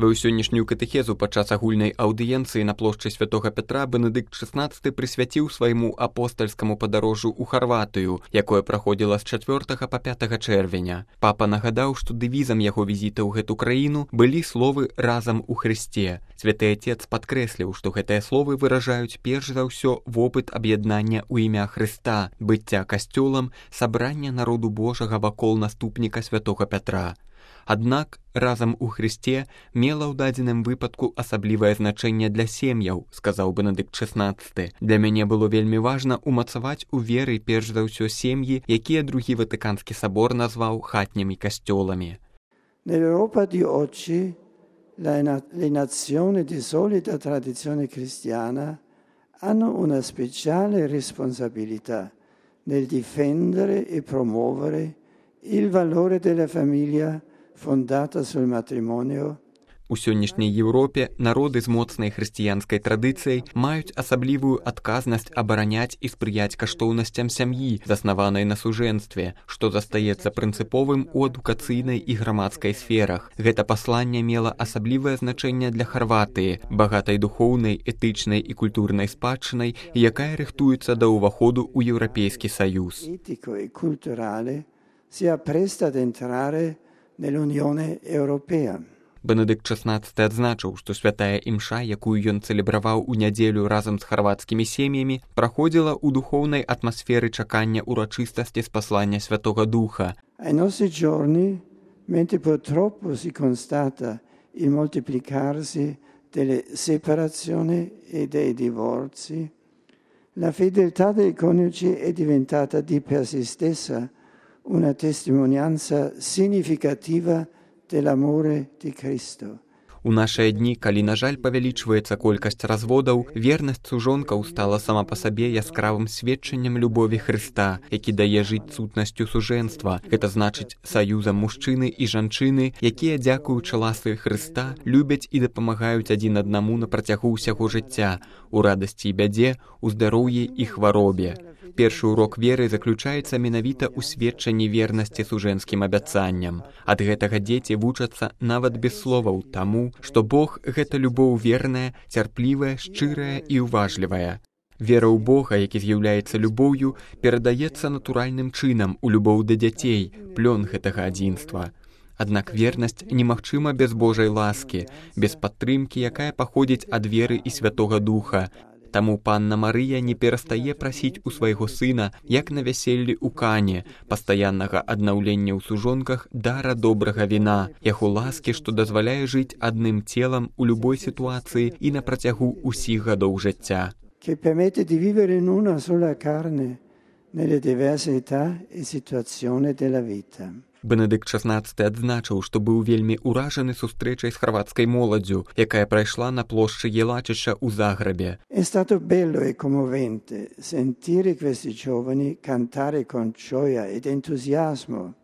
Сваю сённяшнюю катэхезу падчас агульнай аўдыенцыі на плошчы Святога Пятра Бенедыкт XVI прысвяціў свайму апостальскаму падарожжу ў Харватыю, якое праходзіла з 4 па 5 чэрвеня. Папа нагадаў, што дэвізам яго візіта ў гэту краіну былі словы «разам у Хрысце». Святы Отец падкрэсліў, што гэтыя словы выражаюць перш за ўсё вопыт аб'яднання ў імя Хрыста, быцця касцёлам, сабрання народу Божага вакол наступніка Святога Пятра. Аднак «разам у Хрысце» мела ў дадзеным выпадку асаблівае значэнне для сем'яў, сказаў Бенедыкт XVI. Для мяне было вельмі важна умацаваць у веры перш за ўсё сем'і, якія другі Ватыканскі сабор назваў хатнімі касцёламі. Nell'Europa di oggi le nazioni di solida tradizione cristiana hanno una speciale responsabilità nel difendere e promuovere il valore della famiglia fondata sul matrimonio. У сённяшняй Еўропе народы з моцнай хрысціянскай традыцыяй маюць асаблівую адказнасць абараняць і спрыяць каштоўнасцям сям'і, заснаванай на сужэнстве, што застаецца прынцыповым у адукацыйнай і грамадскай сферах. Гэта пасланне мела асаблівае значэнне для Харватыі, багатай духоўнай, этычнай і культурнай спадчынай, якая рыхтуецца да ўваходу ў Еўрапейскі Саюз. Бенедыкт XVI адзначыў, што святая імша, якую ён цэлебраваў у нядзелю разам з харвацкімі сем'ямі, праходзіла ў духоўнай атмасферы чакання урачыстасці спаслання Святога Духа. Ai nostri giorni, mentre purtroppo si constata il moltiplicarsi delle separazioni e dei divorzi, la fedeltà dei coniugi è diventata di per sé stessa una testimonianza significativa dell'amore di Cristo. У нашыя дні, калі, на жаль, павялічваецца колькасць разводаў, вернасць сужонкаў стала сама па сабе яскравым сведчаннем любові Хрыста, які дае жыць сутнасцю сужэнства. Гэта значыць саюзам мужчыны і жанчыны, якія, дзякуючы ласцы Хрыста, любяць і дапамагаюць адзін аднаму на працягу ўсяго жыцця, у радасці і бядзе, у здароўі і хваробе. Першы урок веры заключаецца менавіта ў сведчанні вернасці сужэнскім абяцанням. Ад гэтага дзеці вучацца нават без словаў таму, што Бог – гэта любоў верная, цярплівая, шчырая і ўважлівая. Вера ў Бога, які з'яўляецца любоўю, перадаецца натуральным чынам у любоў да дзяцей, плён гэтага адзінства. Аднак вернасць немагчыма без Божай ласкі, без падтрымкі, якая паходзіць ад веры і Святога Духа. Таму панна Марыя не перастае прасіць у свайго сына, як на вяселлі ў Кане, пастаяннага аднаўлення ў сужонках дара добрага віна, яго ласкі, што дазваляе жыць адным целам у любой сітуацыі і на працягу ўсіх гадоў жыцця. Che permette di vivere in una sola carne nelle diverse età e situazioni della vita. Бенедыкт XVI адзначыў, што быў вельмі ўражаны сустрэчай з харвацкай моладдзю, якая прайшла на плошчы Елачича ў Загребе. È stato bello e commovente sentire questi giovani cantare con gioia ed entusiasmo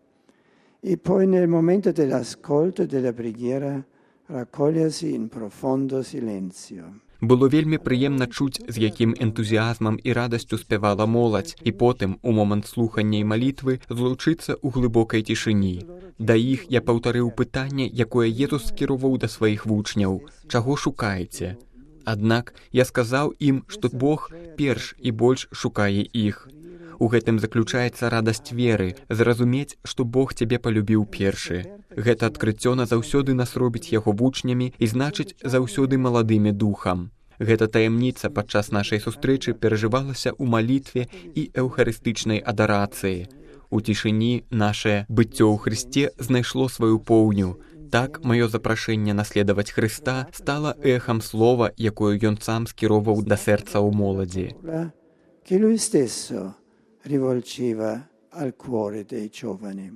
e poi nel momento dell'ascolto e della preghiera raccogliersi in profondo silenzio. Было вельмі прыемна чуць, з якім энтузіазмам і радасцю спявала моладзь, і потым, у момант слухання і малітвы, злучыцца ў глыбокай цішыні. Да іх я паўтарыў пытанне, якое Езус скіроўваў да сваіх вучняў: «Чаго шукаеце?» Аднак я сказаў ім, што Бог перш і больш шукае іх. У гэтым заключаецца радасць веры, зразумець, што Бог цябе палюбіў першы. Гэта адкрыццё назаўсёды нас робіць яго вучнямі і значыць заўсёды маладымі духам. Гэта таямніца падчас нашай сустрэчы перажывалася ў малітве і эўхарыстычнай адарацыі. У цішыні нашае быццё ў Хрысце знайшло сваю поўню. Так, маё запрашэнне наследаваць Хрыста стала эхам слова, якое ён сам скіроўваў да сэрца ў моладзі. Rivolgeva al cuore dei giovani.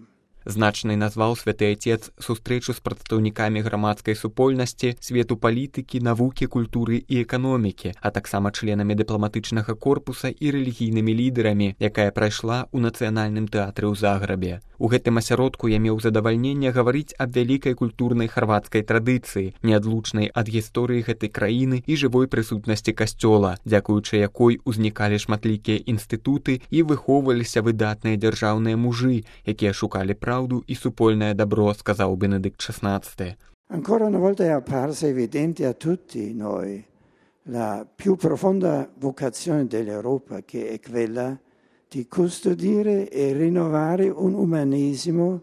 Значнай назваў святы Отец сустрэчу з прадстаўнікамі грамадскай супольнасці, свету палітыкі, навукі, культуры і эканомікі, а таксама членамі дыпламатычнага корпуса і рэлігійнымі лідарамі, якая прайшла ў Нацыянальным тэатры ў Загребе. У гэтым асяродку я меў задавальненне гаварыць аб вялікай культурнай харвацкай традыцыі, неадлучнай ад гісторыі гэтай краіны і жывой прысутнасці касцёла, дзякуючы якой узнікалі шматлікія інстытуты і выхоўваліся выдатныя дзяржаўныя мужы, якія шукалі праўду і супольнае дабро, сказаў Бенедыкт XVI. Ancora una volta è apparsa evidente a tutti noi la più profonda vocazione dell'Europa, che è quella di custodire e rinnovare un umanesimo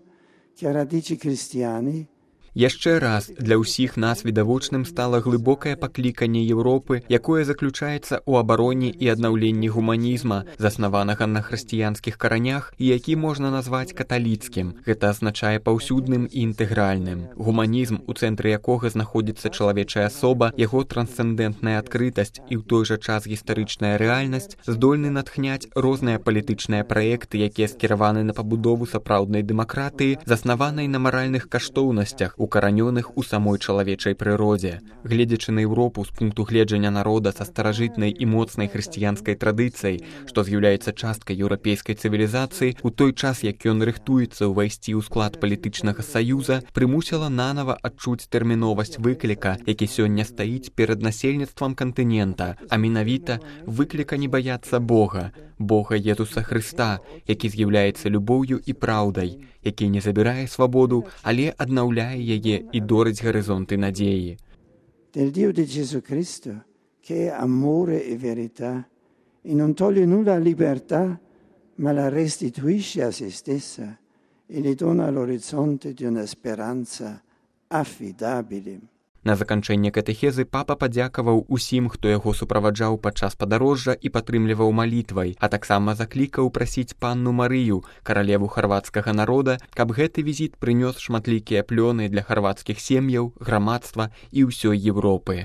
che ha radici cristiane. Яшчэ раз для ўсіх нас відавочным стала глыбокае пакліканне Еўропы, якое заключаецца ў абароне і аднаўленні гуманізма, заснаванага на хрысціянскіх каранях і які можна назваць каталіцкім. Гэта азначае паўсюдным і інтэгральным. Гуманізм, у цэнтры якога знаходзіцца чалавечая асоба, яго трансцэндэнтная адкрытасць і ў той жа час гістарычная рэальнасць здольны натхняць розныя палітычныя праекты, якія скіраваны на пабудову сапраўднай дэмакратыі, заснаванай на маральных каштоўнасцях, укаранёных у самой чалавечай прыродзе. Гледзячы на Еўропу з пункту гледжання народа са старажытнай і моцнай хрысціянскай традыцыяй, што з'яўляецца часткай еўрапейскай цывілізацыі, у той час, як ён рыхтуецца ўвайсці ў склад палітычнага саюза, прымусіла нанава адчуць тэрміновасць выкліка, які сёння стаіць перад насельніцтвам кантынента, а менавіта выкліка не баяцца Бога, Бога Езуса Хрыста, які з'яўляецца любоўю і праўдай, які не забірае свабоду, але аднаўляе яе і дорыць гарызонты надзеі. Del Dio di Gesù Cristo, che è amore e verità, e non toglie nulla a libertà, ma la restituisce a se stessa e le dona l'orizzonte di una speranza affidabile. На заканчэнне катэхезы папа падзякаваў усім, хто яго суправаджаў падчас падарожжа і падтрымліваў малітвай, а таксама заклікаў прасіць панну Марыю, каралеву харвацкага народа, каб гэты візіт прынёс шматлікія плёны для харвацкіх сем'яў, грамадства і ўсёй Европы.